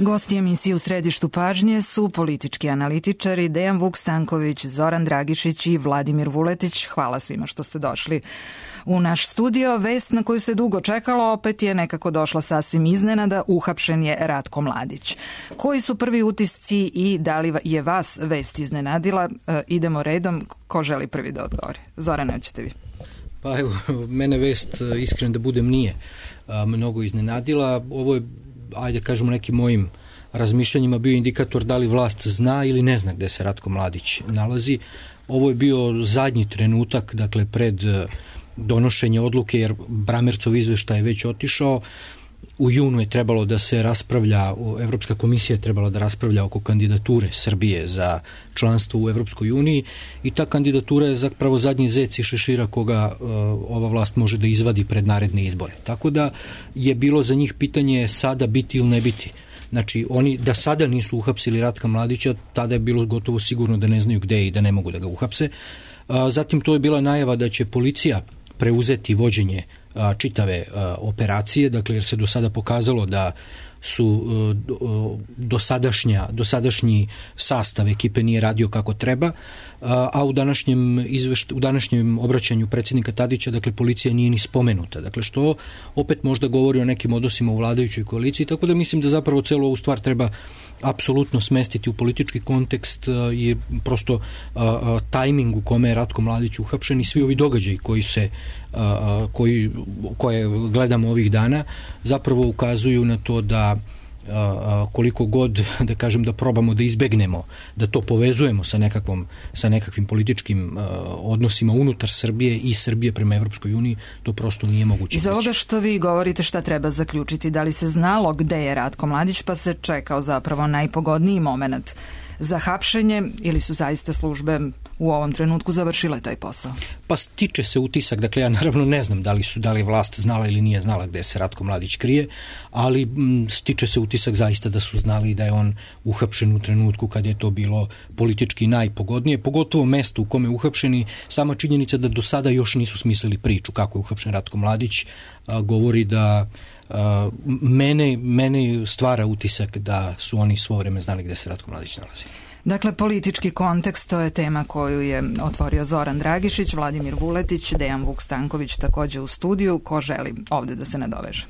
Gosti emisije U središtu pažnje su politički analitičari Dejan Vuk-Stanković, Zoran Dragišić i Vladimir Vuletić. Hvala svima što ste došli u naš studio. Vest na koju se dugo čekalo opet je nekako došla sasvim iznenada. Uhapšen je Ratko Mladić. Koji su prvi utisci i da li je vas vest iznenadila? Idemo redom. Ko želi prvi da odgovori? Zorane, hoćete vi? Pa evo, mene vest, iskren da budem, nije mnogo iznenadila. Ovo je, ajde kažemo, nekim mojim razmišljanjima bio indikator da li vlast zna ili ne zna gde se Ratko Mladić nalazi. Ovo je bio zadnji trenutak, dakle, pred donošenje odluke, jer Bramercov izveštaj je već otišao. U junu je trebalo da se raspravlja, Evropska komisija je trebala da raspravlja oko kandidature Srbije za članstvo u Evropskoj uniji i ta kandidatura je zapravo zadnji zec i šešira koga ova vlast može da izvadi pred naredne izbore. Tako da je bilo za njih pitanje sada biti ili ne biti. Znači, oni da sada nisu uhapsili Ratka Mladića, tada je bilo gotovo sigurno da ne znaju gde je i da ne mogu da ga uhapse. Zatim to je bila najava da će policija preuzeti vođenje čitave operacije, dakle, jer se do sada pokazalo da su dosadašnji sastav ekipe nije radio kako treba, a u današnjem obraćanju predsjednika Tadića, dakle, policija nije ni spomenuta. Dakle, što opet možda govori o nekim odnosima u vladajućoj koaliciji, tako da mislim da zapravo celu ovu stvar treba apsolutno smestiti u politički kontekst i prosto tajming u kome je Ratko Mladić uhapšen i svi ovi događaji koje gledamo ovih dana zapravo ukazuju na to da koliko god, da kažem, da probamo da izbegnemo, da to povezujemo sa nekakvim političkim odnosima unutar Srbije i Srbije prema Evropskoj uniji, to prosto nije moguće. Iz ovoga što vi govorite, šta treba zaključiti? Da li se znalo gde je Ratko Mladić, pa se čekao zapravo najpogodniji moment za hapšenje, ili su zaista službe u ovom trenutku završile taj posao? Pa stiče se utisak, dakle, ja naravno ne znam da li je vlast znala ili nije znala gde se Ratko Mladić krije, ali stiče se utisak zaista da su znali da je on uhapšen u trenutku kad je to bilo politički najpogodnije, pogotovo mesto u kome je uhapšen i sama činjenica da do sada još nisu smislili priču kako je uhapšen Ratko Mladić govori da mene stvara utisak da su oni svo vreme znali gde se Ratko Mladić nalazi. Dakle, politički kontekst, to je tema koju je otvorio Zoran Dragišić, Vladimir Vuletić, Dejan Vuk-Stanković takođe u studiju. Ko želi ovde da se nadoveže?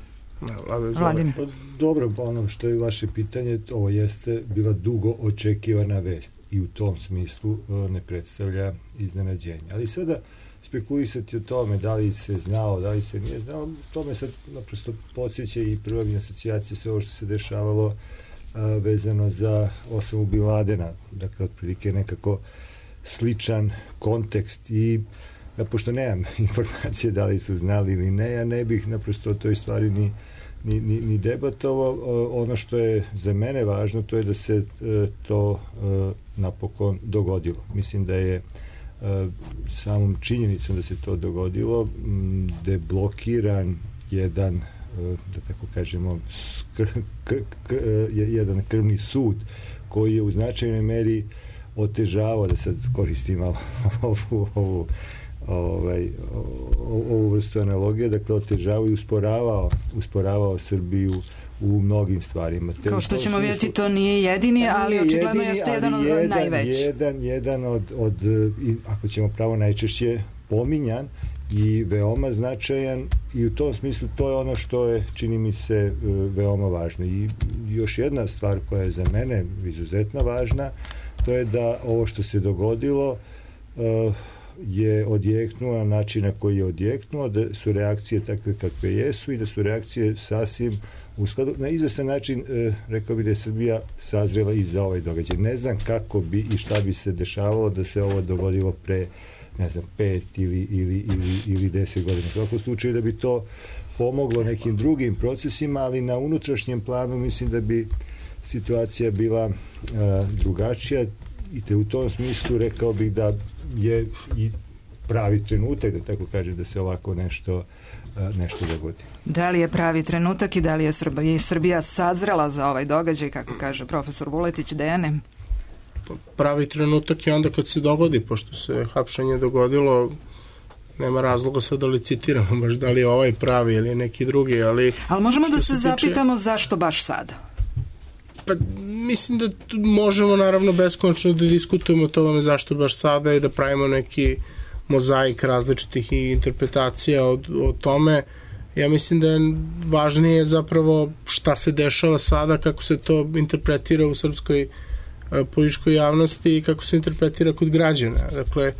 Vladimir. Dobro, ono što je vaše pitanje, ovo jeste bila dugo očekivana vest i u tom smislu ne predstavlja iznenađenje. Ali sada spekulisati o tome da li se znao, da li se nije znao, to me sad naprosto podsjeća i prvobne asocijacije sve ovo što se dešavalo vezano za Osamu Bin Ladena, dakle, otprilike nekako sličan kontekst i ja, pošto nemam informacije da li su znali ili ne, ja ne bih naprosto o toj stvari ni debatovao. Ono što je za mene važno, to je da se to napokon dogodilo. Mislim da je samom činjenicom da se to dogodilo deblokiran jedan, da tako kažemo, jedan krvni sud koji je u značajnoj meri otežavao, da sad koristim malo ovu vrstu analogije, dakle otežavao i usporavao Srbiju u mnogim stvarima. Kao što ćemo vidjeti, to nije jedini, ali očigledno jeste jedan od najvećih. Jedan od, ako ćemo pravo, najčešće pominjan i veoma značajan i u tom smislu to je ono što je, čini mi se, veoma važno. I još jedna stvar koja je za mene izuzetno važna, to je da ovo što se dogodilo je odjeknuo na način na koji je odjeknuo, da su reakcije takve kakve jesu i da su reakcije sasvim u skladu. Na izvestan način rekao bih da je Srbija sazrela i za ovaj događaj. Ne znam kako bi i šta bi se dešavalo da se ovo dogodilo pre, ne znam, 5 ili 10 godina. U svakom slučaju da bi to pomoglo nekim drugim procesima, ali na unutrašnjem planu mislim da bi situacija bila drugačija i te u tom smislu rekao bih da je i pravi trenutak, da tako kažem, da se ovako nešto dogodi. Da li je pravi trenutak i da li je Srbija sazrela za ovaj događaj, kako kaže profesor Vuletić? Dejane? Pravi trenutak je onda kad se dogodi, pošto se hapšenje dogodilo, nema razloga sad da licitiramo baš da li je ovaj pravi ili neki drugi, ali... Ali možemo da se zapitamo zašto baš sada? Pa mislim da možemo naravno beskonačno da diskutujemo o tome zašto baš sada i da pravimo neki mozaik različitih interpretacija o tome. Ja mislim da je važnije zapravo šta se dešava sada, kako se to interpretira u srpskoj političkoj javnosti i kako se interpretira kod građana. Dakle,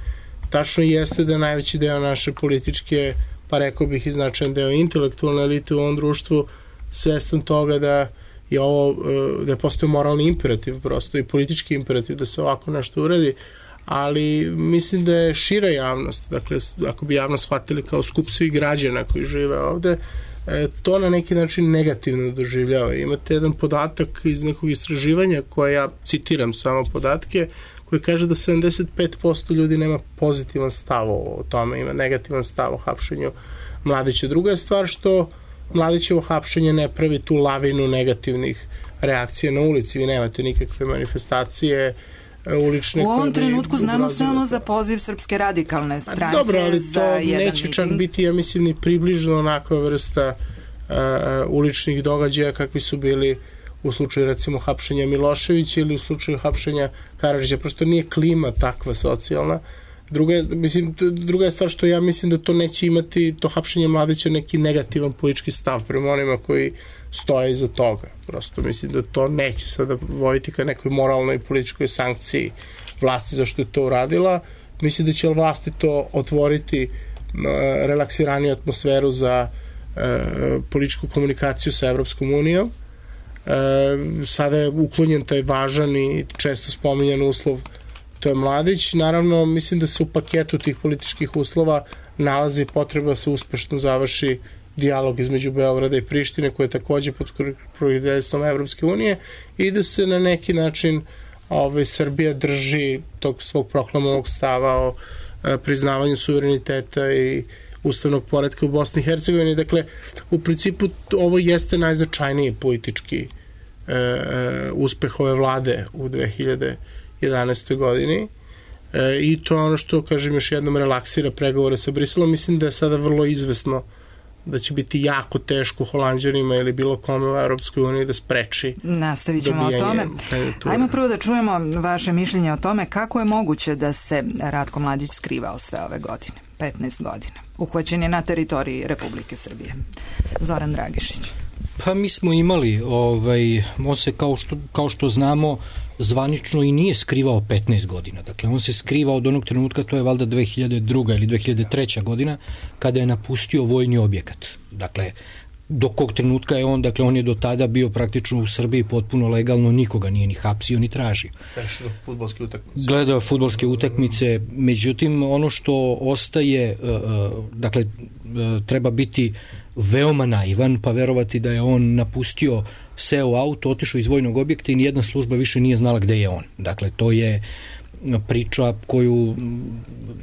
tačno jeste da je najveći deo naše političke, pa rekao bih i značajan deo intelektualne elite u ovom društvu svestan toga da je ovo, da postoji moralni imperativ prosto i politički imperativ da se ovako nešto uradi, ali mislim da je šira javnost, dakle, ako bi javnost shvatili kao skup svih građana koji žive ovde, to na neki način negativno doživljava. Imate jedan podatak iz nekog istraživanja koje ja citiram samo podatke, koji kaže da 75% ljudi nema pozitivan stav o tome, ima negativan stav o hapšenju Mladića. Druga je stvar što Mladićevo hapšenje ne pravi tu lavinu negativnih reakcija na ulici. Vi nemate nikakve manifestacije ulične. U ovom trenutku znamo samo za poziv Srpske radikalne stranke. Dobro, ali to neće čak biti, ja mislim, ni približno onakva vrsta uličnih događaja kakvi su bili u slučaju recimo hapšenja Miloševića ili u slučaju hapšenja Karadžića. Prosto nije klima takva socijalna. Druga je stvar što ja mislim da to neće imati, to hapšenje Mladića, neki negativan politički stav prema onima koji stoje iza toga. Prosto mislim da to neće sada voditi ka nekoj moralnoj političkoj sankciji vlasti zašto je to uradila. Mislim da će vlasti to otvoriti relaksiraniju atmosferu za političku komunikaciju sa Evropskom unijom. Sada je uklonjen taj važan i često spominjan uslov, to je Mladić. Naravno, mislim da se u paketu tih političkih uslova nalazi potreba da se uspešno završi dijalog između Beograda i Prištine, koje je takođe pod pokroviteljstvom Evropske unije, i da se na neki način Srbija drži tog svog proklamovanog stava o priznavanju suvereniteta i ustavnog poretka u Bosni i Hercegovini. Dakle, u principu ovo jeste najznačajniji politički uspeh ove vlade u 2011. godini i to je ono što, kažem, još jednom relaksira pregovore sa Briselom. Mislim da je sada vrlo izvesno da će biti jako teško Holanđanima ili bilo kome u Europskoj uniji da spreči. Nastavit ćemo o tome. Ajmo prvo da čujemo vaše mišljenje o tome kako je moguće da se Ratko Mladić skrivao sve ove godine, 15 godina. Uhvaćen je na teritoriji Republike Srbije. Zoran Dragišić. Pa mi smo imali, on se kao što znamo zvanično i nije skrivao 15 godina. Dakle, on se skrivao od onog trenutka, to je valjda 2002. ili 2003. godina, kada je napustio vojni objekat. Dakle, do kog trenutka je on, dakle, on je do tada bio praktično u Srbiji potpuno legalno, nikoga nije ni hapsio ni tražio. Gledao fudbalske utakmice, međutim, ono što ostaje, dakle, treba biti veoma naivan, pa verovati da je on napustio, seo u auto, otišao iz vojnog objekta i nijedna služba više nije znala gde je on. Dakle, to je priča koju,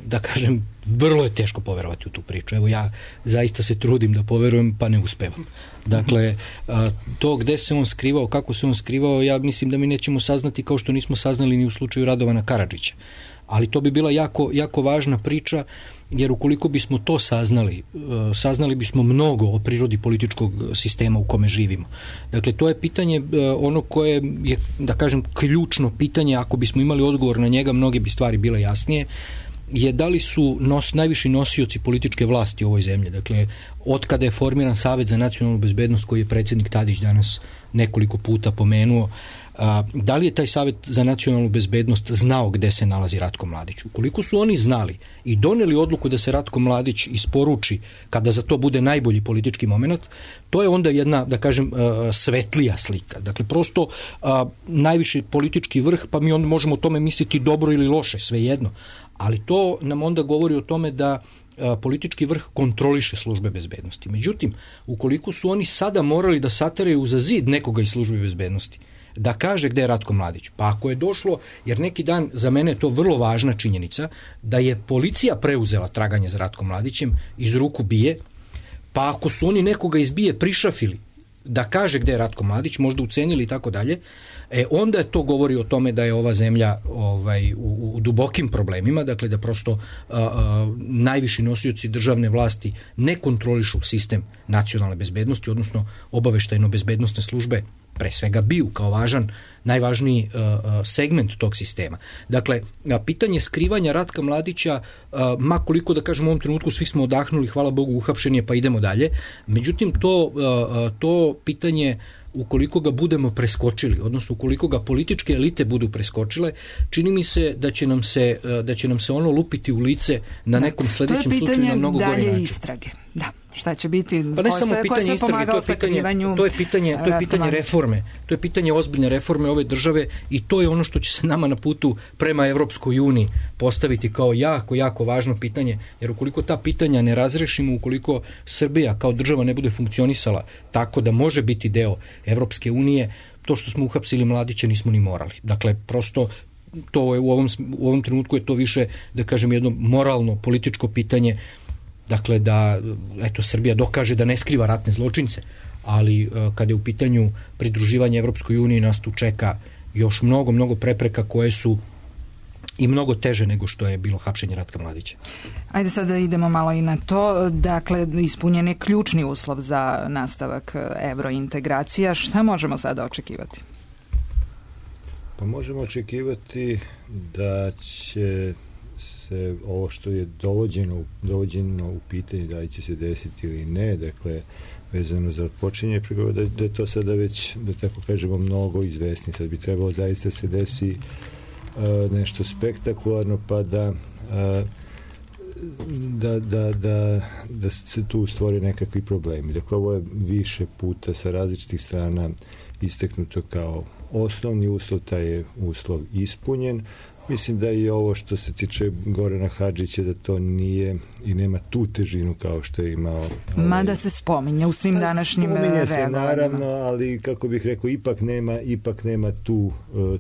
da kažem, vrlo je teško poverovati u tu priču. Evo, ja zaista se trudim da poverujem, pa ne uspevam. Dakle, to gde se on skrivao, kako se on skrivao, ja mislim da mi nećemo saznati kao što nismo saznali ni u slučaju Radovana Karadžića. Ali to bi bila jako važna priča, jer ukoliko bismo to saznali bismo mnogo o prirodi političkog sistema u kome živimo. Dakle, to je pitanje ono koje je, da kažem, ključno pitanje, ako bismo imali odgovor na njega, mnoge bi stvari bile jasnije, je da li su najviši nosioci političke vlasti u ovoj zemlji. Dakle, od kada je formiran Savet za nacionalnu bezbednost, koji je predsjednik Tadić danas nekoliko puta pomenuo, da li je taj Savet za nacionalnu bezbednost znao gde se nalazi Ratko Mladić? Ukoliko su oni znali i doneli odluku da se Ratko Mladić isporuči kada za to bude najbolji politički moment, to je onda jedna, da kažem, svetlija slika. Dakle, prosto najviši politički vrh, pa mi onda možemo o tome misliti dobro ili loše, svejedno. Ali to nam onda govori o tome da politički vrh kontroliše službe bezbednosti. Međutim, ukoliko su oni sada morali da sateraju za zid nekoga iz službe bezbednosti, da kaže gde je Ratko Mladić. Pa ako je došlo, jer neki dan, za mene je to vrlo važna činjenica, da je policija preuzela traganje za Ratkom Mladićem iz ruku BIA, pa ako su oni nekoga iz BIA prišafili da kaže gde je Ratko Mladić, možda ucenili i tako dalje, onda je to govori o tome da je ova zemlja u dubokim problemima, dakle da prosto najviši nosioci državne vlasti ne kontrolišu sistem nacionalne bezbednosti, odnosno obaveštajno-bezbednostne službe pre svega BIA kao najvažniji segment tog sistema. Dakle, pitanje skrivanja Ratka Mladića, makoliko da kažem u ovom trenutku svi smo odahnuli, hvala Bogu, uhapšen je pa idemo dalje, međutim to pitanje, ukoliko ga budemo preskočili, odnosno ukoliko ga političke elite budu preskočile, čini mi se da će nam se ono lupiti u lice na nekom sledećem slučaju na mnogo gori način. To je pitanje dalje istrage. Da. Šta će biti? Pa ne samo pitanje istrage, to je pitanje reforme. To je pitanje ozbiljne reforme ove države i to je ono što će se nama na putu prema Evropskoj uniji postaviti kao jako, jako važno pitanje, jer ukoliko ta pitanja ne razrešimo, ukoliko Srbija kao država ne bude funkcionisala tako da može biti deo Evropske unije, to što smo uhapsili Mladića nismo ni morali. Dakle, prosto to je u ovom trenutku je to više, da kažem, jedno moralno političko pitanje. Dakle, da Srbija dokaže da ne skriva ratne zločince, ali kada je u pitanju pridruživanje Evropskoj uniji, nas tu čeka još mnogo, mnogo prepreka koje su i mnogo teže nego što je bilo hapšenje Ratka Mladića. Ajde sada idemo malo i na to. Dakle, ispunjen je ključni uslov za nastavak evrointegracija. Šta možemo sada očekivati? Pa možemo očekivati da će se ovo što je dovođeno u pitanje da li će se desiti ili ne, dakle vezano za odpočinje pregovora, da je to sada već, da tako kažemo, mnogo izvesni. Sad bi trebalo zaista se desi nešto spektakularno pa da se tu stvore nekakvi problemi. Dakle, ovo je više puta sa različitih strana isteknuto kao osnovni uslov, taj je uslov ispunjen. Mislim da i ovo što se tiče Gorana Hadžića, da to nije i nema tu težinu kao što je imao. Mada se spominje u svim današnjim reagovanjima. Spominje se naravno, ali kako bih rekao, ipak nema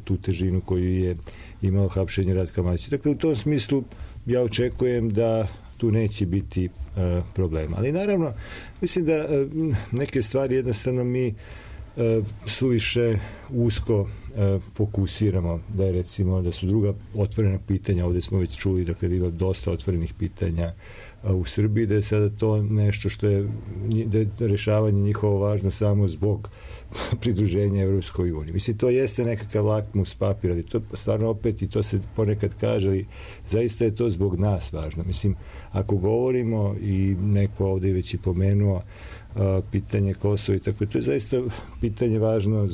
tu težinu koju je imao hapšenje Ratka Mladića. Dakle, u tom smislu ja očekujem da tu neće biti problema. Ali naravno, mislim da neke stvari jednostavno mi suviše usko fokusiramo, da je recimo da su druga otvorena pitanja, ovdje smo već čuli, dakle da ima dosta otvorenih pitanja u Srbiji, da je sada to nešto što je rešavanje njihovo važno samo zbog pridruženja Evropskoj uniji. Mislim, to jeste nekakav lakmus papir, ali to stvarno opet, i to se ponekad kaže, ali zaista je to zbog nas važno. Mislim, ako govorimo, i neko ovdje već i pomenuo, pitanje Kosova i tako, to je zaista pitanje važno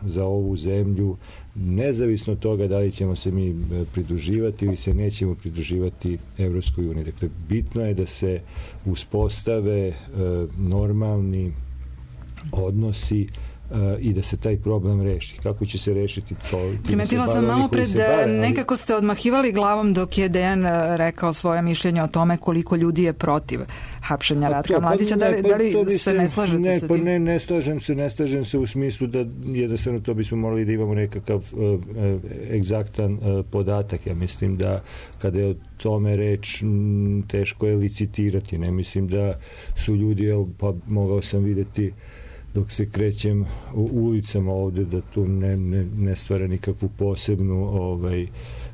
za ovu zemlju, nezavisno od toga da li ćemo se mi pridruživati ili se nećemo pridruživati Evropskoj uniji. Dakle, bitno je da se uspostave normalni odnosi i da se taj problem reši. Kako će se rešiti to? Primetila sam malo pred, nekako ste odmahivali glavom dok je Dejan rekao svoje mišljenje o tome koliko ljudi je protiv hapšenja Ratka Mladića. Da li se ne slažete sa tim? Ne slažem se u smislu da jednostavno to bismo morali da imamo nekakav egzaktan podatak. Ja mislim da kada je o tome reč, teško je licitirati. Ne mislim da su ljudi, pa mogao sam vidjeti dok se krećem u ulicama ovde, da tu ne stvara nikakvu posebnu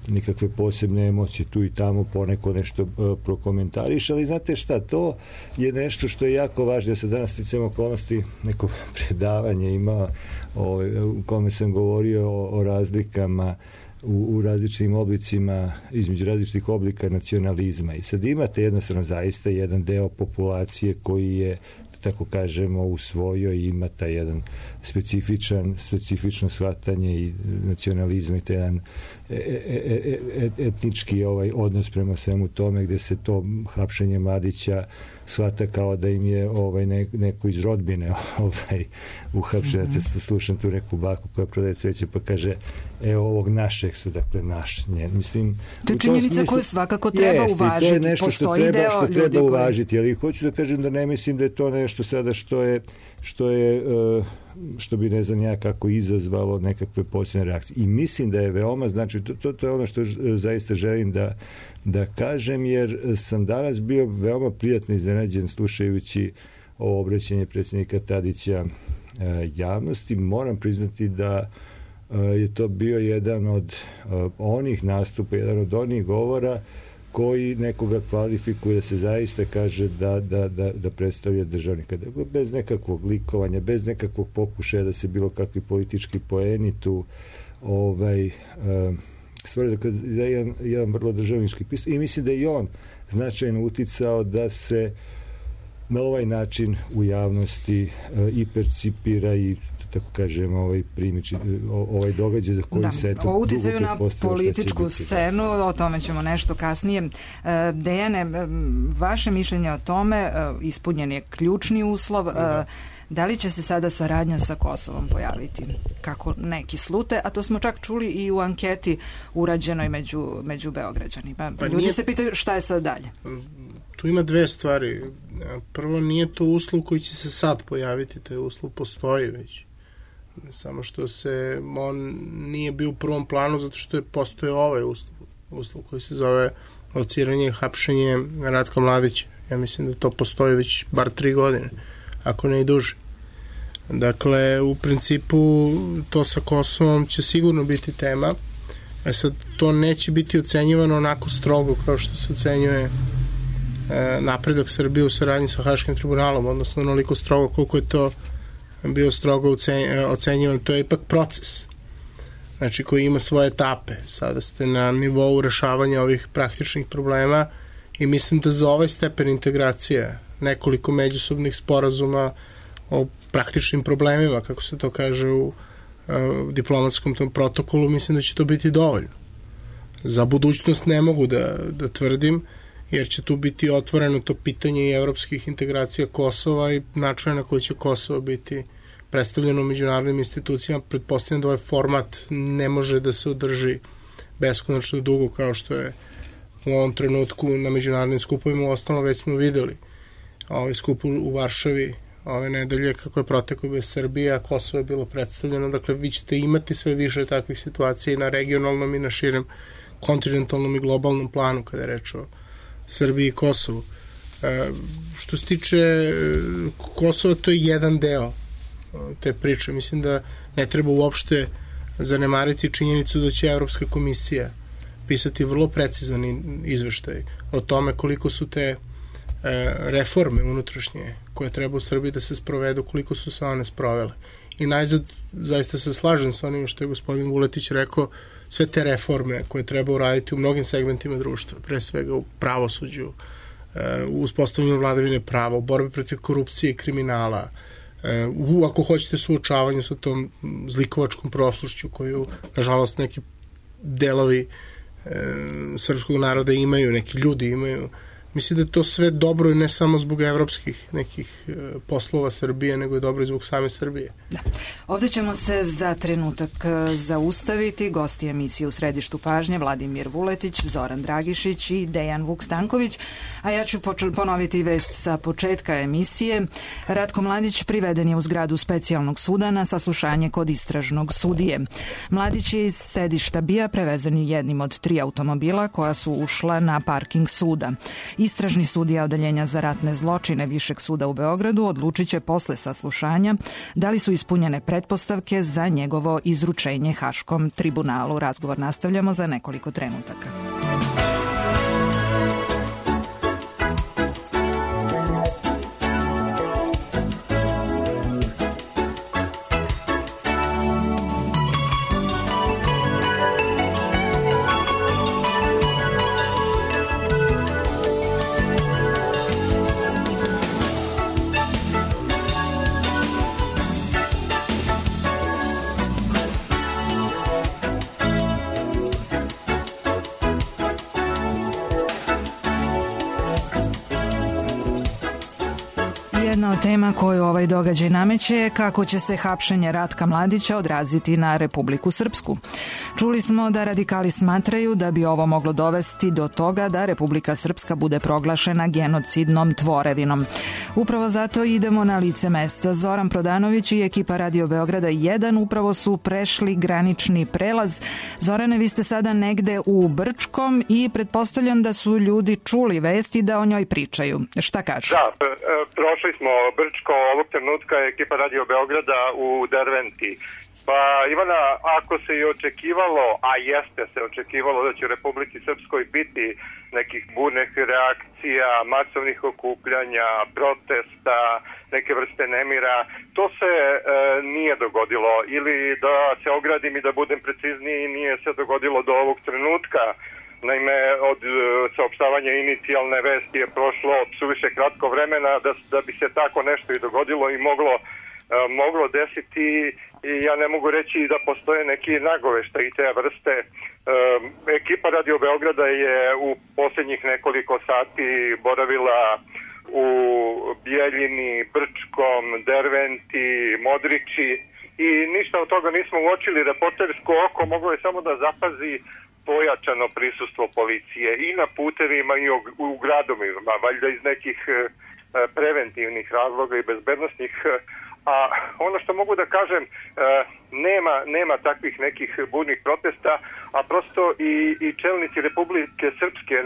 nikakve posebne emocije, tu i tamo poneko nešto prokomentariš, ali znate šta, to je nešto što je jako važno. Ja sam danas sticam okolnosti neko predavanje imao u kome sam govorio o razlikama u različitim oblicima, između različitih oblika nacionalizma, i sad imate jednostavno zaista jedan deo populacije koji je, tako kažemo, usvojio i ima taj jedan specifično shvatanje i nacionalizma i taj jedan etnički odnos prema svemu tome, gde se to hapšenje Mladića shvata kao da im je neko iz rodbine uhapšen. Slušam tu neku baku koja prodaje cveće pa kaže, ovog našeg su, dakle naš. Mislim, to je činjenica koju svakako treba uvažiti. To je nešto što treba uvažiti, ali hoću da kažem da ne mislim da je to nešto sada što bi, ne znam ja kako, izazvalo nekakve posebne reakcije. I mislim da je veoma, znači to je ono što zaista želim da kažem, jer sam danas bio veoma prijatno iznenađen slušajući ovo obraćanje predsjednika Tadića javnosti. Moram priznati da je to bio jedan od onih nastupa, jedan od onih govora koji nekoga kvalifikuje da se zaista kaže da predstavlja državnika. Bez nekakvog likovanja, bez nekakvog pokušaja da se bilo kakvi politički poeni tu stvari, dakle, jedan vrlo državnički pristup i mislim da je i on značajno uticao da se na ovaj način u javnosti i percipira i tako kažem, primiči, događaj za koji se o uticaju na političku scenu, o tome ćemo nešto kasnije. Dejane, vaše mišljenje o tome, ispunjen je ključni uslov, da li će se sada saradnja sa Kosovom pojaviti? Kako neki slute, a to smo čak čuli i u anketi urađenoj među Beograđanima. Ljudi se pitaju šta je sad dalje. Tu ima dve stvari. Prvo, nije to uslov koji će se sad pojaviti, taj uslov postoji već. Samo što on nije bio u prvom planu zato što je postoje ovaj uslov koji se zove lociranje i hapšenje Ratka Mladića. Ja mislim da to postoji već bar 3 godine, ako ne i duže. Dakle, u principu to sa Kosovom će sigurno biti tema. Sad, to neće biti ocenjivano onako strogo kao što se ocenjuje napredak Srbije u saradnji sa Haškim tribunalom, odnosno onoliko strogo koliko je to bio strogo ocenjivan. To je ipak proces, znači, koji ima svoje etape. Sada ste na nivou rešavanja ovih praktičnih problema i mislim da za ovaj stepen integracije nekoliko međusobnih sporazuma o praktičnim problemima, kako se to kaže u diplomatskom tom protokolu, mislim da će to biti dovoljno. Za budućnost ne mogu da tvrdim, jer će tu biti otvoreno to pitanje i evropskih integracija Kosova i načina na koji će Kosovo biti predstavljeno u međunarodnim institucijama. Pretpostavljam da ovaj format ne može da se održi beskonačno dugo kao što je u ovom trenutku na međunarodnim skupovima. Ostalo već smo videli ovaj skup u Varšavi ove nedelje kako je protekao bez Srbije, a Kosovo je bilo predstavljeno. Dakle, vi ćete imati sve više takvih situacija i na regionalnom i na širem kontinentalnom i globalnom planu kada je reč o Srbiji i Kosovu. Što se tiče Kosova, to je jedan deo te priče. Mislim da ne treba uopšte zanemariti činjenicu da će Evropska komisija pisati vrlo precizan izveštaj o tome koliko su te reforme unutrašnje koje treba u Srbiji da se sprovedu, koliko su se one sprovele. I najzad, zaista se slažem sa onim što je gospodin Vuletić rekao, sve te reforme koje treba uraditi u mnogim segmentima društva, pre svega u pravosuđu, u uspostavljanju vladavine prava, u borbi protiv korupcije i kriminala, ako hoćete suočavanju sa tom zlikovačkom prošlošću koju, nažalost, neki delovi srpskog naroda imaju, neki ljudi imaju. Mislim da je to sve dobro i ne samo zbog evropskih nekih poslova Srbije, nego je dobro i zbog same Srbije. Da. Ovde ćemo se za trenutak zaustaviti. Gosti emisije u središtu pažnje Vladimir Vuletić, Zoran Dragišić i Dejan Vuk-Stanković. A ja ću ponoviti vest sa početka emisije. Ratko Mladić priveden je u zgradu specijalnog suda na saslušanje kod istražnog sudije. Mladić je iz sedišta BIA prevezen jednim od 3 automobila koja su ušla na parking suda. Istražni sudija Odeljenja za ratne zločine Višeg suda u Beogradu odlučit će posle saslušanja da li su ispunjene pretpostavke za njegovo izručenje Haškom tribunalu. Razgovor nastavljamo za nekoliko trenutaka. Jedna od tema koju ovaj događaj nameće je kako će se hapšenje Ratka Mladića odraziti na Republiku Srpsku. Čuli smo da radikali smatraju da bi ovo moglo dovesti do toga da Republika Srpska bude proglašena genocidnom tvorevinom. Upravo zato idemo na lice mesta. Zoran Prodanović i ekipa Radio Beograda 1 upravo su prešli granični prelaz. Zorane, vi ste sada negde u Brčkom i pretpostavljam da su ljudi čuli vesti da o njoj pričaju. Šta kažu? Da, prošli smo Brčko, ovog trenutka je ekipa Radio Beograda u Derventi Pa Ivana, ako se i očekivalo, a jeste se očekivalo da će u Republici Srpskoj biti nekih burnih reakcija, masovnih okupljanja, protesta, neke vrste nemira, to se nije dogodilo. Ili da se ogradim i da budem precizniji, nije se dogodilo do ovog trenutka. Naime, od saopštavanja inicijalne vesti je prošlo suviše kratko vremena da bi se tako nešto i dogodilo i moglo desiti. I ja ne mogu reći da postoje neki nagoveštaji te vrste. Ekipa Radio Beograda je u posljednjih nekoliko sati boravila u Bijeljini, Brčkom, Derventi, Modriči i ništa od toga nismo uočili. Reportersko oko moglo je samo da zapazi pojačano prisustvo policije i na putevima i u gradovima, valjda iz nekih preventivnih razloga i bezbednostnih. A ono što mogu da kažem, nema takvih nekih burnih protesta, a prosto i čelnici Republike Srpske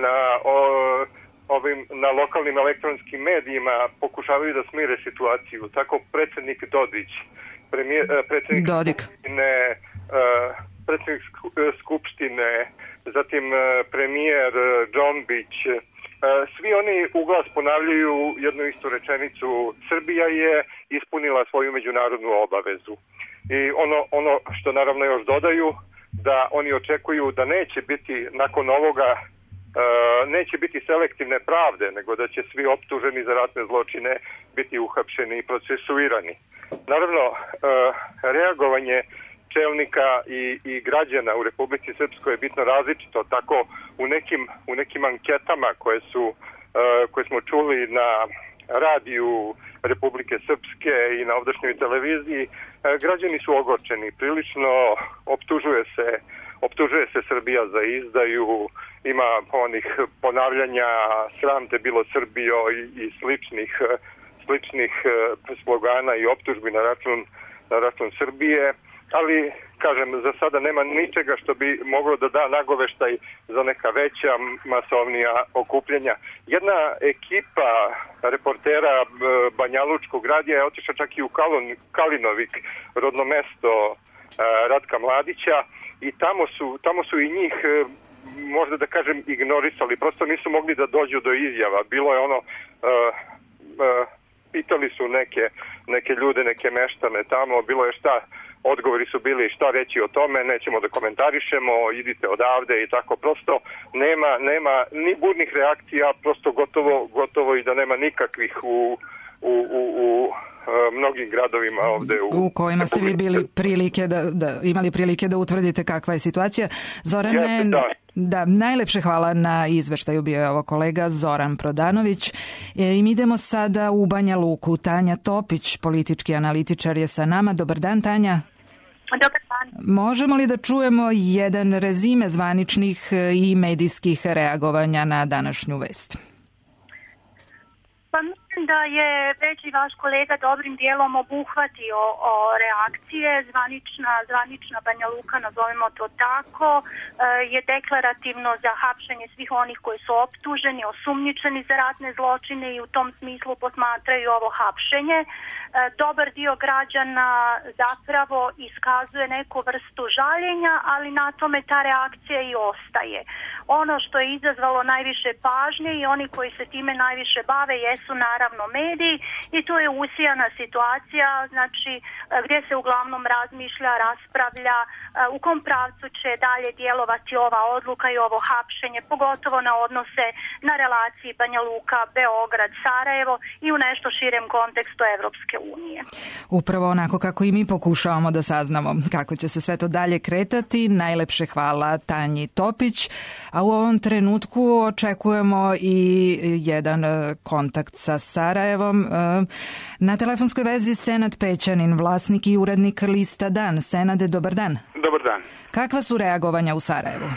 na lokalnim elektronskim medijima pokušavaju da smire situaciju. Tako predsjednik Dodić, predsjednik Skupštine, zatim premijer Džombić, svi oni uglas ponavljaju jednu istu rečenicu: Srbija je ispunila svoju međunarodnu obavezu. I ono što naravno još dodaju, da oni očekuju da neće biti nakon ovoga, neće biti selektivne pravde, nego da će svi optuženi za ratne zločine biti uhapšeni i procesuirani. Naravno, reagovanje čelnika i građana u Republici Srpskoj je bitno različito. Tako u nekim anketama koje smo čuli na radiju Republike Srpske i na ovdašnjoj televiziji, građani su ogorčeni. Prilično optužuje se Srbija za izdaju, ima onih ponavljanja sram te bilo Srbijo i sličnih slogana i optužbi na račun Srbije. Ali, kažem, za sada nema ničega što bi moglo da da nagoveštaj za neka veća, masovnija okupljenja. Jedna ekipa reportera Banjalučkog radija je otišla čak i u Kalinovik, rodno mesto Ratka Mladića, i tamo su i njih, možda da kažem, ignorisali. Prosto nisu mogli da dođu do izjava. Bilo je pitali su neke ljude, neke meštane tamo, bilo je odgovori su bili šta reći o tome, nećemo da komentarišemo, idite odavde i tako. Prosto nema ni burnih reakcija, prosto gotovo i da nema nikakvih u mnogim gradovima ovde u kojima ste vi bili imali prilike da utvrdite kakva je situacija. Zorane, najlepše hvala na izveštaju, bio je ovo kolega Zoran Prodanović. I mi idemo sada u Banja Luku. Tanja Topić, politički analitičar, je sa nama. Dobar dan, Tanja. Dobar dan. Možemo li da čujemo jedan rezime zvaničnih i medijskih reagovanja na današnju vest? Pa mislim da je već i vaš kolega dobrim dijelom obuhvatio reakcije. Zvanična Banja Luka, nazovimo to tako, je deklarativno za hapšenje svih onih koji su optuženi, osumnjičeni za ratne zločine i u tom smislu posmatraju ovo hapšenje. Dobar dio građana zapravo iskazuje neku vrstu žaljenja, ali na tome ta reakcija i ostaje. Ono što je izazvalo najviše pažnje i oni koji se time najviše bave jesu naravno mediji, i tu je usijana situacija, znači gdje se uglavnom razmišlja, raspravlja u kom pravcu će dalje djelovati ova odluka i ovo hapšenje, pogotovo na odnose na relaciji Banja Luka, Beograd, Sarajevo i u nešto širem kontekstu Evropske unije. Upravo onako kako i mi pokušavamo da saznamo kako će se sve to dalje kretati. Najlepše hvala Tanji Topić, a u ovom trenutku očekujemo i jedan kontakt sa Sarajevom. Na telefonskoj vezi Senad Pećanin, vlasnik i urednik lista Dan. Senade, dobar dan. Dobar dan. Kakva su reagovanja u Sarajevu?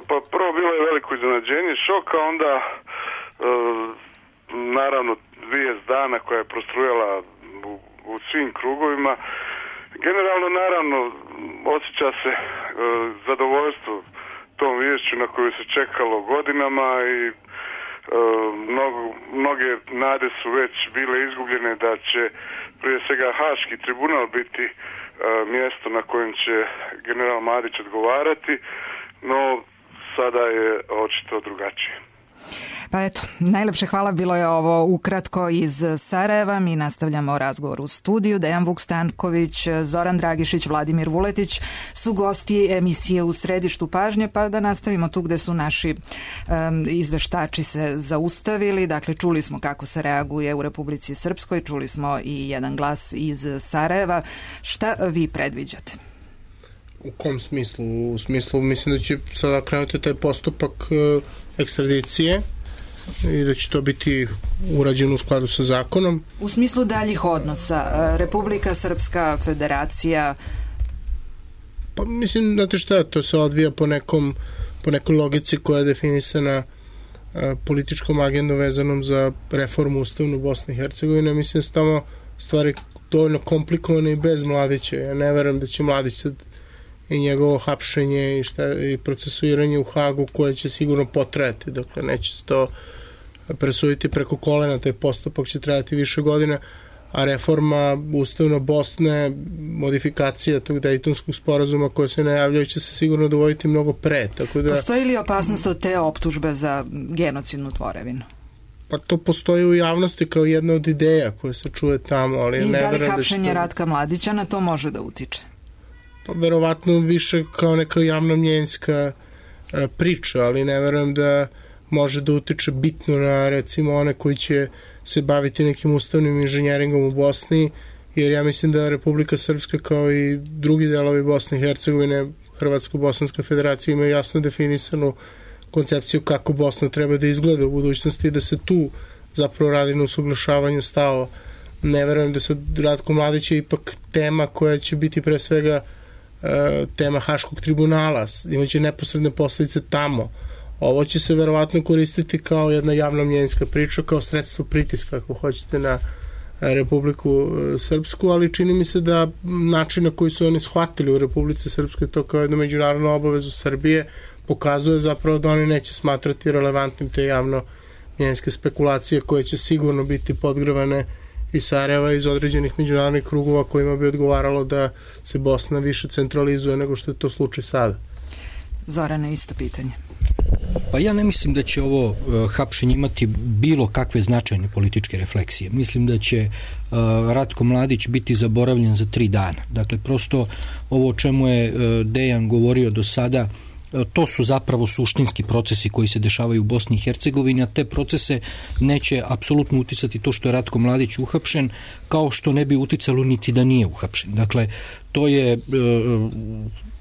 Pa prvo bilo je veliko iznenađenje, šok, a onda naravno vijest dana koja je prostrujala u svim krugovima. Generalno, naravno, osjeća se zadovoljstvo tom viješću na koju se čekalo godinama i mnoge nade su već bile izgubljene da će prije svega Haški tribunal biti mjesto na kojem će general Mladić odgovarati, no sada je očito drugačije. Pa eto, najlepše hvala, bilo je ovo ukratko iz Sarajeva. Mi nastavljamo razgovor u studiju. Dejan Vuk-Stanković, Zoran Dragišić, Vladimir Vuletić su gosti emisije U središtu pažnje, pa da nastavimo tu gde su naši izveštači se zaustavili. Dakle, čuli smo kako se reaguje u Republici Srpskoj, čuli smo i jedan glas iz Sarajeva. Šta vi predviđate? U kom smislu? U smislu, mislim da će sada krenuti taj postupak ekstradicije i da će to biti urađeno u skladu sa zakonom. U smislu daljih odnosa, Republika Srpska, Federacija? Pa mislim, znate šta, to se odvija po nekoj logici koja je definisana političkom agendom vezanom za reformu Ustavnu Bosne i Hercegovine. Mislim da su tamo stvari dovoljno komplikovane i bez Mladića. Ja ne verujem da će Mladić sad i njegovo hapšenje i procesuiranje u Hagu koje će sigurno potrajati. Dakle, neće se to presuditi preko kolena, taj postupak će trajati više godina, a reforma Ustavno Bosne, modifikacija tog Dejtonskog sporazuma koje se najavljaju će se sigurno dovoditi mnogo pre. Tako da... Postoji li opasnost od te optužbe za genocidnu tvorevinu? Pa to postoji u javnosti kao jedna od ideja koja se čuje tamo, ali i da li hapšenje Ratka Mladića na to može da utiče? Pa verovatno više kao neka javna mnjenjska priča, ali ne verujem da može da utiče bitno na recimo one koji će se baviti nekim ustavnim inženjeringom u Bosni, jer ja mislim da Republika Srpska kao i drugi delovi Bosne i Hercegovine, Hrvatsko-Bosanska federacija imaju jasno definisanu koncepciju kako Bosna treba da izgleda u budućnosti i da se tu zapravo radi na usaglašavanju stavova. Ne verujem da sad Ratko Mladić je ipak tema koja će biti pre svega tema Haškog tribunala, imaće neposredne posledice tamo. Ovo će se verovatno koristiti kao jedna javna mnjenjska priča, kao sredstvo pritiska, ako hoćete, na Republiku Srpsku, ali čini mi se da način na koji su oni shvatili u Republici Srpskoj to kao jednu međunarodnu obavezu Srbije pokazuje zapravo da oni neće smatrati relevantnim te javno mnjenjske spekulacije koje će sigurno biti podgrevane iz Sarajeva, iz određenih međunarodnih krugova kojima bi odgovaralo da se Bosna više centralizuje nego što je to slučaj sada. Zorane, isto pitanje. Pa ja ne mislim da će ovo hapšenje imati bilo kakve značajne političke refleksije. Mislim da će Ratko Mladić biti zaboravljen za 3 dana. Dakle, prosto ovo o čemu je Dejan govorio do sada, to su zapravo suštinski procesi koji se dešavaju u Bosni i Hercegovini, a te procese neće apsolutno uticati to što je Ratko Mladić uhapšen, kao što ne bi uticalo niti da nije uhapšen. Dakle, to je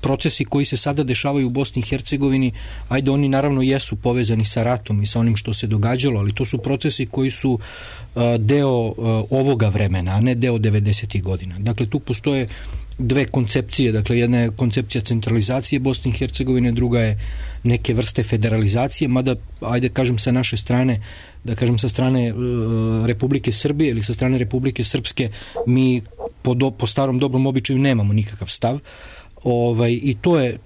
procesi koji se sada dešavaju u Bosni i Hercegovini, ajde, oni naravno jesu povezani sa ratom i sa onim što se događalo, ali to su procesi koji su deo ovoga vremena, a ne deo 90. godina. Dakle, tu postoje 2 koncepcije, dakle jedna je koncepcija centralizacije Bosne i Hercegovine, druga je neke vrste federalizacije, mada, ajde kažem sa naše strane, da kažem sa strane Republike Srbije ili sa strane Republike Srpske, mi po starom dobrom običaju nemamo nikakav stav, i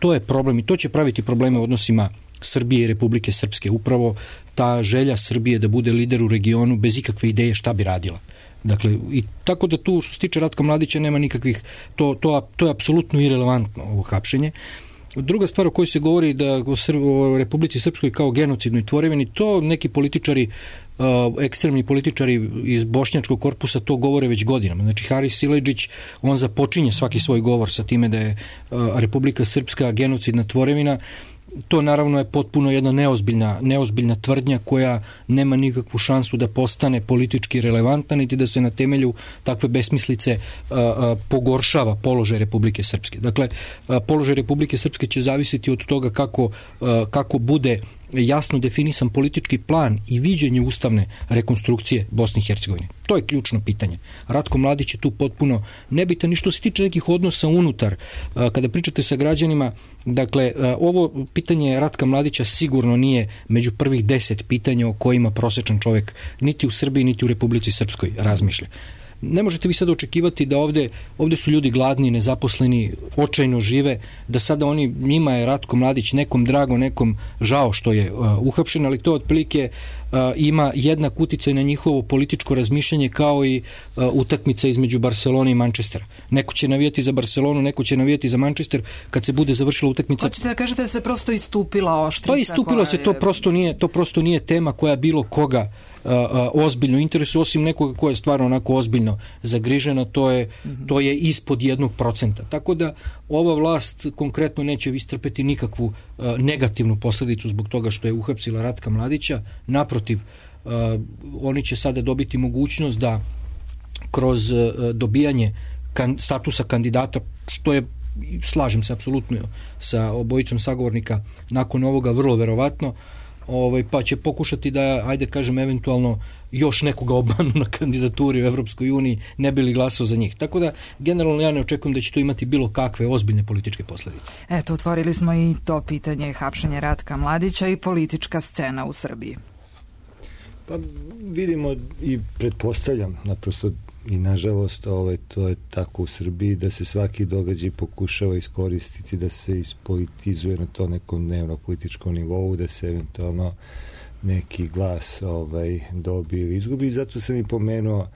to je problem i to će praviti probleme u odnosima Srbije i Republike Srpske, upravo ta želja Srbije da bude lider u regionu bez ikakve ideje šta bi radila. Dakle, i tako da tu što se tiče Ratka Mladića nema nikakvih, to je apsolutno irelevantno ovo hapšenje. Druga stvar o kojoj se govori da o Republici Srpskoj kao genocidnoj tvorevini, to neki političari, ekstremni političari iz bošnjačkog korpusa to govore već godinama. Znači, Haris Siledžić, on započinje svaki svoj govor sa time da je Republika Srpska genocidna tvorevina. To naravno je potpuno jedna neozbiljna tvrdnja koja nema nikakvu šansu da postane politički relevantna, niti da se na temelju takve besmislice pogoršava položaj Republike Srpske. Dakle, položaj Republike Srpske će zavisiti od toga kako bude jasno definisan politički plan i viđenje ustavne rekonstrukcije Bosne i Hercegovine. To je ključno pitanje. Ratko Mladić je tu potpuno nebitan i što se tiče nekih odnosa unutar. Kada pričate sa građanima, dakle, ovo pitanje Ratka Mladića sigurno nije među prvih 10 pitanja o kojima prosečan čovjek niti u Srbiji, niti u Republici Srpskoj razmišlja. ne možete vi sad očekivati da ovde su ljudi gladni, nezaposleni, očajno žive, da sada njima je Ratko Mladić nekom drago, nekom žao što je uhapšen, ali to otprilike ima jednak uticaj na njihovo političko razmišljanje kao i utakmica između Barcelone i Manchestera. Neko će navijati za Barcelonu, neko će navijati za Manchester kad se bude završila utakmica. Hoćete da kažete da se prosto istupila oštrica? Pa istupilo se, to prosto nije tema koja bilo koga ozbiljno interesuje, osim nekoga koja je stvarno onako ozbiljno zagrižena, to je ispod 1%. Tako da ova vlast konkretno neće istrpeti nikakvu negativnu posledicu zbog toga što je uhapsila Ratka Mladića. Naprotiv, oni će sada dobiti mogućnost da kroz dobijanje statusa kandidata, što je, slažem se apsolutno sa obojicom sagovornika, nakon ovoga vrlo verovatno, pa će pokušati da, ajde kažem, eventualno još nekoga obmanu na kandidaturi u Evropskoj uniji, ne bi li glasao za njih. Tako da, generalno ja ne očekujem da će to imati bilo kakve ozbiljne političke posledice. Eto, otvorili smo i to pitanje hapšenja Ratka Mladića i politička scena u Srbiji. Pa vidimo i pretpostavljam, naprosto i nažalost to je tako u Srbiji, da se svaki događaj pokušava iskoristiti, da se ispolitizuje na to nekom dnevno političkom nivou, da se eventualno neki glas dobije ili izgubi. Zato sam i pomenuo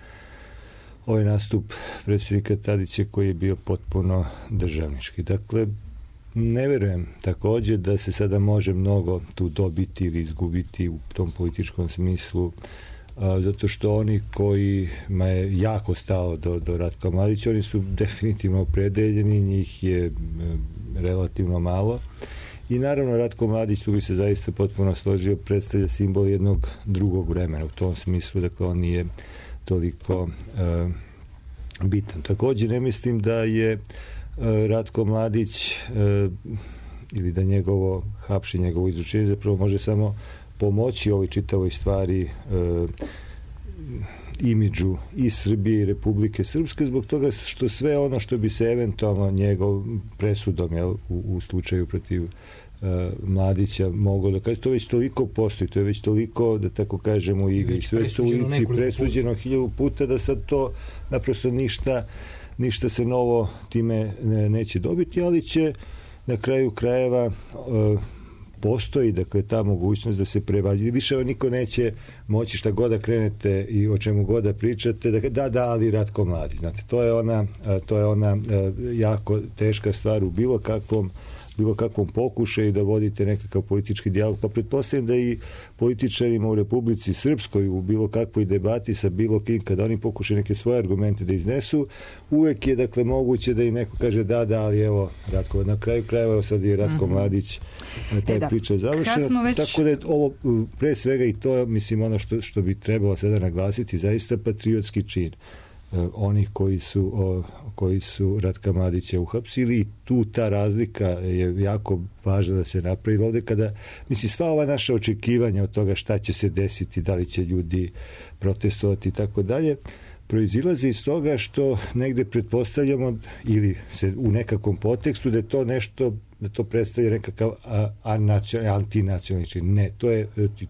ovaj nastup predsjednika Tadića koji je bio potpuno državnički. Dakle, ne verujem također da se sada može mnogo tu dobiti ili izgubiti u tom političkom smislu, zato što oni kojima je jako stalo do Ratka Mladića, oni su definitivno opredeljeni, njih je relativno malo. I naravno Ratko Mladić, tu bi se zaista potpuno složio, predstavlja simbol jednog drugog vremena u tom smislu, dakle on nije toliko bitan. Također ne mislim da je Ratko Mladić ili da njegovo hapšenje, njegovo izručenje zapravo može samo pomoći ovoj čitavoj stvari, imidžu i Srbije i Republike Srpske, zbog toga što sve ono što bi se eventualno njegov presudom u slučaju protiv Mladića moglo da kaže, to već toliko postoji, to je već toliko, da tako kažemo, u igri, sve to ulici presuđeno 1000 puta, da sad to naprosto ništa se novo time neće dobiti, ali će na kraju krajeva postoji, dakle, ta mogućnost da se prevađuje. Više niko neće moći šta god da krenete i o čemu god da pričate, da, ali Ratko Mladić. Znate, to je ona jako teška stvar u bilo kakvom pokušaju da vodite nekakav politički dijalog. Pa pretpostavljam da i političarima u Republici Srpskoj u bilo kakvoj debati sa bilo kim, kada oni pokušaju neke svoje argumente da iznesu, uvek je, dakle, moguće da im neko kaže da, ali evo, Ratko, na kraju krajeva sad je Ratko Mladić, taj priča završena. Tako da je ovo pre svega i to, mislim, ono što bi trebalo sada naglasiti, zaista patriotski čin onih koji su Ratka Mladića uhapsili, i tu ta razlika je jako važna da se napravi. Ovde kada, mislim, sva ova naša očekivanja od toga šta će se desiti, da li će ljudi protestovati i tako dalje, proizilaze iz toga što negde pretpostavljamo ili se u nekakvom potekstu da je to nešto, da to predstavlja nekakav antinacionalni čin. Ne,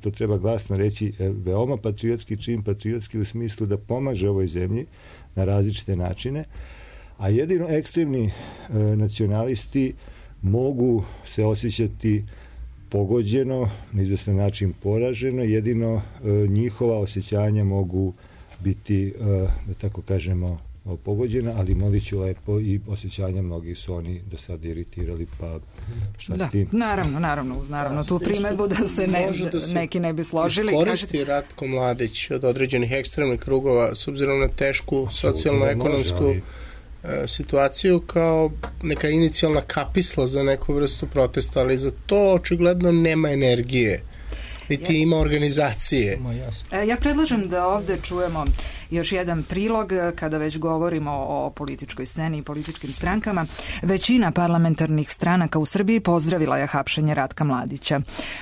to treba glasno reći, veoma patriotski čin, patriotski u smislu da pomaže ovoj zemlji na različite načine, a jedino ekstremni nacionalisti mogu se osjećati pogođeno, na izvestan način poraženo, jedino njihova osjećanja mogu biti, da tako kažemo, pogođena, ali Mladiću lepo i osjećanja mnogi su oni do sada iritirali, pa šta s tim? Naravno, tu primetbu da se neki ne bi složili. Koristi Ratko Mladić od određenih ekstremnih krugova s obzirom na tešku socijalno-ekonomsku situaciju kao neka inicijalna kapisla za neku vrstu protesta, ali za to očigledno nema energije, niti ima organizacije. Ja predlažem da ovde čujemo još jedan prilog kada već govorimo o političkoj sceni i političkim strankama. Većina parlamentarnih stranaka u Srbiji pozdravila je hapšenje Ratka Mladića.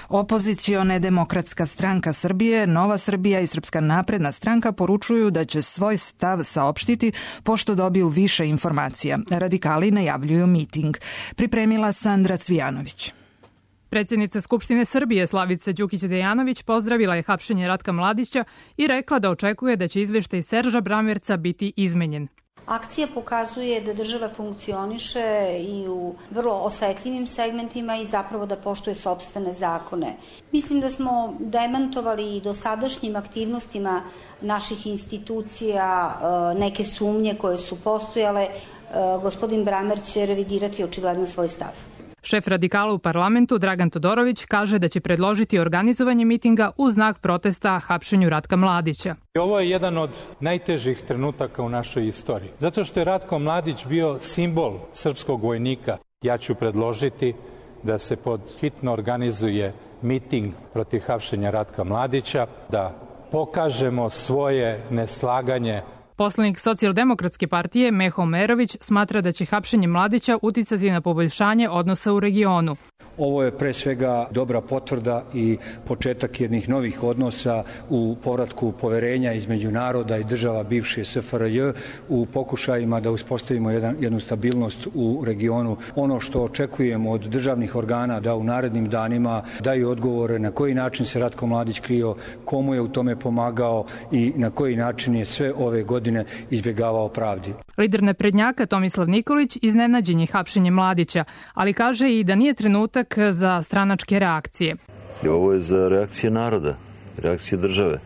Opozicione Demokratska stranka Srbije, Nova Srbija i Srpska napredna stranka poručuju da će svoj stav saopštiti pošto dobiju više informacija. Radikali najavljuju miting. Pripremila Sandra Cvijanović. Predsjednica Skupštine Srbije Slavica Đukić-Dejanović pozdravila je hapšenje Ratka Mladića i rekla da očekuje da će izveštaj Serža Bramerca biti izmenjen. Akcija pokazuje da država funkcioniše i u vrlo osetljivim segmentima i zapravo da poštuje sopstvene zakone. Mislim da smo demantovali i dosadašnjim aktivnostima naših institucija neke sumnje koje su postojale. Gospodin Bramer će revidirati očigledno svoj stav. Šef radikala u parlamentu Dragan Todorović kaže da će predložiti organizovanje mitinga u znak protesta hapšenju Ratka Mladića. Ovo je jedan od najtežih trenutaka u našoj istoriji. Zato što je Ratko Mladić bio simbol srpskog vojnika. Ja ću predložiti da se pod hitno organizuje miting protiv hapšenja Ratka Mladića, da pokažemo svoje neslaganje. Poslanik Socijaldemokratske partije Meho Merović smatra da će hapšenje Mladića uticati na poboljšanje odnosa u regionu. Ovo je pre svega dobra potvrda i početak jednih novih odnosa u povratku poverenja između naroda i država bivše SFRJ u pokušajima da uspostavimo jednu stabilnost u regionu. Ono što očekujemo od državnih organa da u narednim danima daju odgovore na koji način se Ratko Mladić krio, komu je u tome pomagao i na koji način je sve ove godine izbjegavao pravdi. Lider naprednjaka Tomislav Nikolić iznenađen je hapšenjem Mladića, ali kaže i da nije trenutak za stranačke reakcije. Ovo je za reakcije naroda, reakcije države.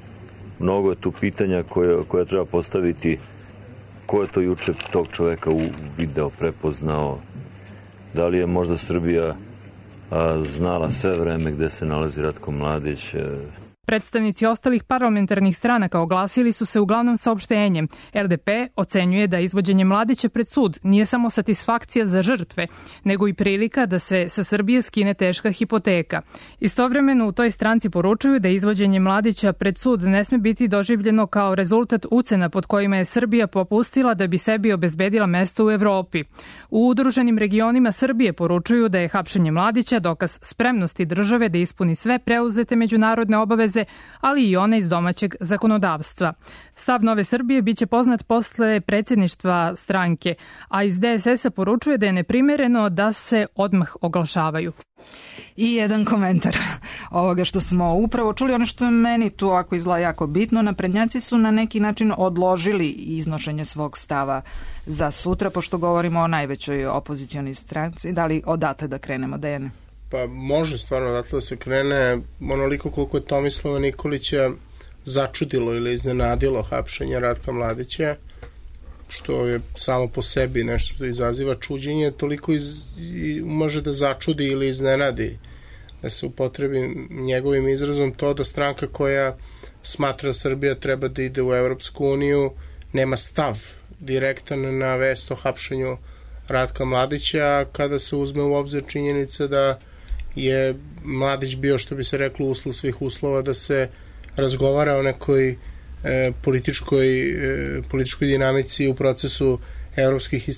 Mnogo je tu pitanja koja treba postaviti. Ko je to juče tog čoveka video prepoznao? Da li je možda Srbija znala sve vreme gde se nalazi Ratko Mladić? Predstavnici ostalih parlamentarnih stranaka oglasili su se uglavnom saopštenjem. LDP ocenjuje da izvođenje Mladića pred sud nije samo satisfakcija za žrtve, nego i prilika da se sa Srbije skine teška hipoteka. Istovremeno u toj stranci poručuju da izvođenje Mladića pred sud ne sme biti doživljeno kao rezultat ucena pod kojima je Srbija popustila da bi sebi obezbedila mesto u Evropi. U udruženim regionima Srbije poručuju da je hapšenje Mladića dokaz spremnosti države da ispuni sve preuzete međunarodne obaveze, ali i one iz domaćeg zakonodavstva. Stav Nove Srbije biće poznat posle predsjedništva stranke, a iz DSS-a poručuje da je neprimereno da se odmah oglašavaju. I jedan komentar ovoga što smo upravo čuli, ono što je meni tu ovako izgleda jako bitno, naprednjaci su na neki način odložili iznošenje svog stava za sutra, pošto govorimo o najvećoj opozicionoj stranci. Da li odate da krenemo, Dejane? Pa može stvarno odatle da se krene, onoliko koliko je Tomislava Nikolića začudilo ili iznenadilo hapšenje Ratka Mladića, što je samo po sebi nešto što izaziva čuđenje, toliko može da začudi ili iznenadi, da se upotrebi njegovim izrazom to da stranka koja smatra da Srbija treba da ide u Evropsku uniju nema stav direktan na vest o hapšenju Ratka Mladića, kada se uzme u obzir činjenica da je Mladić bio, što bi se reklo, uslov svih uslova da se razgovara o nekoj političkoj dinamici u procesu evropskih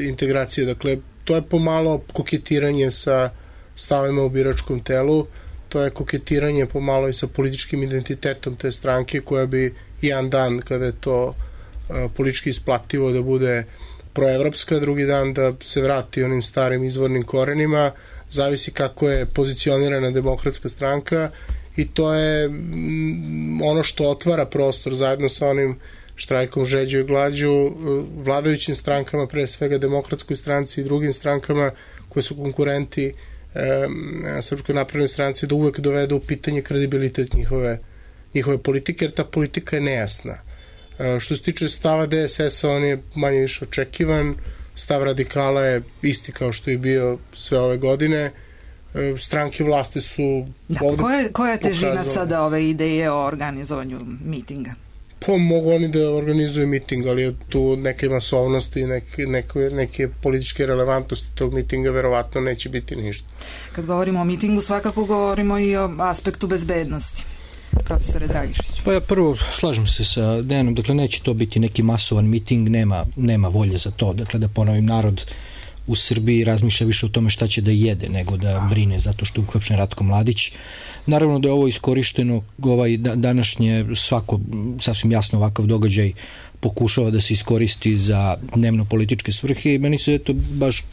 integracija. Dakle, to je pomalo koketiranje sa stavima u biračkom telu, to je koketiranje pomalo i sa političkim identitetom te stranke, koja bi jedan dan, kada je to politički isplativo da bude proevropska, drugi dan da se vrati onim starim izvornim korenima, zavisi kako je pozicionirana demokratska stranka, i to je ono što otvara prostor zajedno sa onim štrajkom žeđu i glađu vladajućim strankama, pre svega Demokratskoj stranci i drugim strankama koje su konkurenti Srpskoj naprednoj stranci, da uvek dovedu u pitanje kredibilitet njihove politike, jer ta politika je nejasna. Što se tiče stava DSS-a, on je manje više očekivan, stav radikala je isti kao što je bio sve ove godine. Stranke vlasti su ovde koja je težina sada ove ideje o organizovanju mitinga? Pa mogu oni da organizuju miting, ali tu neke masovnosti, neke političke relevantnosti tog mitinga verovatno neće biti ništa. Kad govorimo o mitingu, svakako govorimo i o aspektu bezbednosti. Profesore Dragišić. Pa ja prvo slažem se sa Dejanom, dakle neće to biti neki masovan miting, nema volje za to, dakle da ponovim, narod u Srbiji razmišlja više o tome šta će da jede nego da brine zato što je uhapšen Ratko Mladić. Naravno da je ovo iskorišteno, današnje svako sasvim jasno ovakav događaj pokušava da se iskoristi za dnevno političke svrhe i meni se baš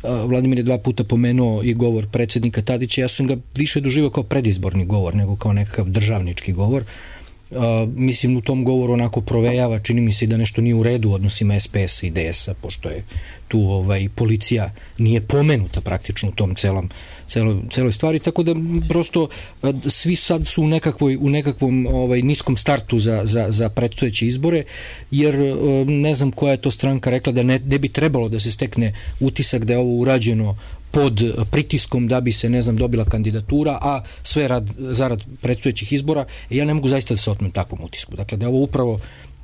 Vladimir je 2 puta pomenuo i govor predsjednika Tadića, ja sam ga više doživao kao predizborni govor nego kao nekakav državnički govor. Mislim, u tom govoru onako provejava, čini mi se da nešto nije u redu u odnosima SPS i DS-a, pošto je tu policija nije pomenuta praktično u tom celoj stvari, tako da prosto svi sad su u nekakvom niskom startu za predstojeće izbore, jer ne znam koja je to stranka rekla da ne bi trebalo da se stekne utisak da je ovo urađeno pod pritiskom da bi se, ne znam, dobila kandidatura, a sve zarad predstojećih izbora. Ja ne mogu zaista da se otmem takvom utisku. Dakle, da je ovo upravo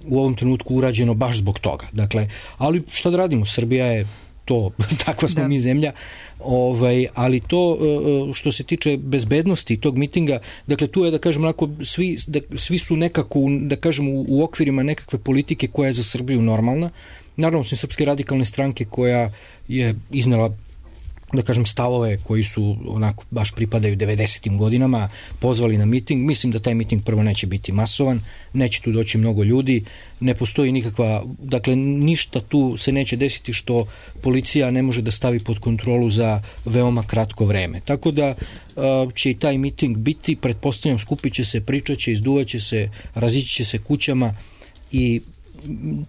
u ovom trenutku urađeno baš zbog toga. Dakle, ali šta da radimo? Srbija je to, takva smo mi zemlja, ali to što se tiče bezbednosti tog mitinga, dakle tu je, da kažem, svi su nekako, da kažem, u okvirima nekakve politike koja je za Srbiju normalna. Naravno, osim Srpske radikalne stranke koja je iznela, da kažem, stavove koji su onako baš pripadaju 90. godinama, pozvali na miting. Mislim da taj miting prvo neće biti masovan, neće tu doći mnogo ljudi, ne postoji nikakva, dakle ništa tu se neće desiti što policija ne može da stavi pod kontrolu za veoma kratko vreme. Tako da će i taj miting biti, pretpostavljam, skupit će se, pričat će, izduvat će se, razići će se kućama i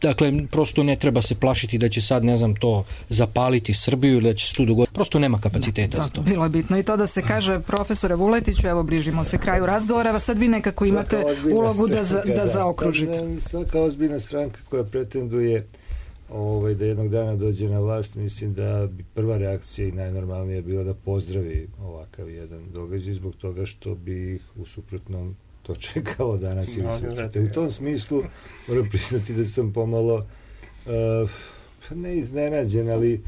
dakle, prosto ne treba se plašiti da će sad, ne znam, to zapaliti Srbiju ili da će se tu dogoditi. Prosto nema kapaciteta za to. Bilo je bitno i to da se kaže, profesore Vuletiću, evo bližimo se kraju razgovora, sad vi nekako imate ulogu da zaokružite. Svaka ozbiljna stranka koja pretenduje da jednog dana dođe na vlast, mislim da bi prva reakcija i najnormalnija bila da pozdravi ovakav jedan događaj zbog toga što bi ih u suprotnom to čekalo danas ili sutra. U tom smislu moram priznati da sam pomalo ne iznenađen, ali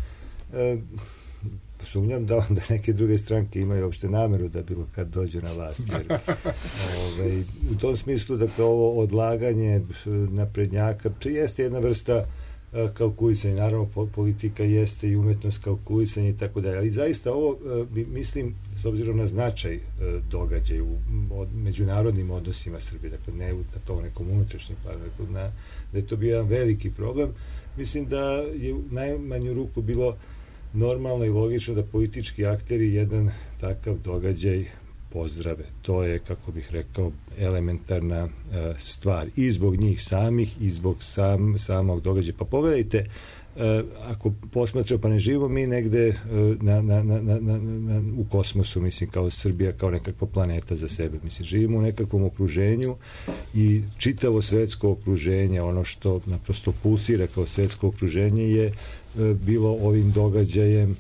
sumnjam da onda neke druge stranke imaju uopšte nameru da bilo kad dođu na vlast. U tom smislu, dakle, ovo odlaganje naprednjaka, to jeste jedna vrsta kalkulisanja. Naravno, politika jeste i umetnost kalkulisanja i tako dalje. Ali zaista ovo, mislim, s obzirom na značaj događaja u međunarodnim odnosima Srbije, dakle ne na tom nekom unutrašnjem planu, da je to bio jedan veliki problem. Mislim da je u najmanju ruku bilo normalno i logično da politički akteri jedan takav događaj pozdrave. To je, kako bih rekao, elementarna stvar i zbog njih samih i zbog samog događaja. Pa pogledajte, ako posmatramo, pa ne živimo mi negde u kosmosu, mislim, kao Srbija, kao nekakva planeta za sebe. Mislim, živimo u nekakvom okruženju i čitavo svetsko okruženje, ono što naprosto pulsira kao svetsko okruženje je bilo ovim događajem,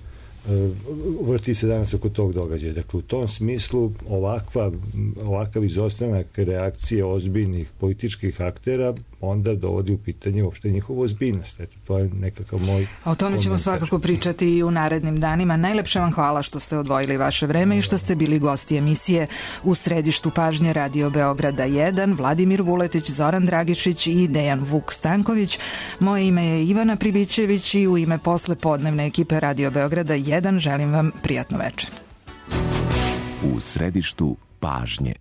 vrti se danas oko tog događaja. Dakle, u tom smislu ovakav izostanak reakcije ozbiljnih političkih aktera onda dovodi u pitanje uopšte njihovu ozbiljnost. Eto, to je nekakav moj A o tome ćemo svakako pričati i u narednim danima. Najlepše vam hvala što ste odvojili vaše vreme i što ste bili gosti emisije U središtu pažnje Radio Beograda 1, Vladimir Vuletić, Zoran Dragišić i Dejan Vuk Stanković. Moje ime je Ivana Pribićević i u ime poslepodnevne ekipe Radio Beograda 1 želim vam prijatno večer. U središtu pažnje.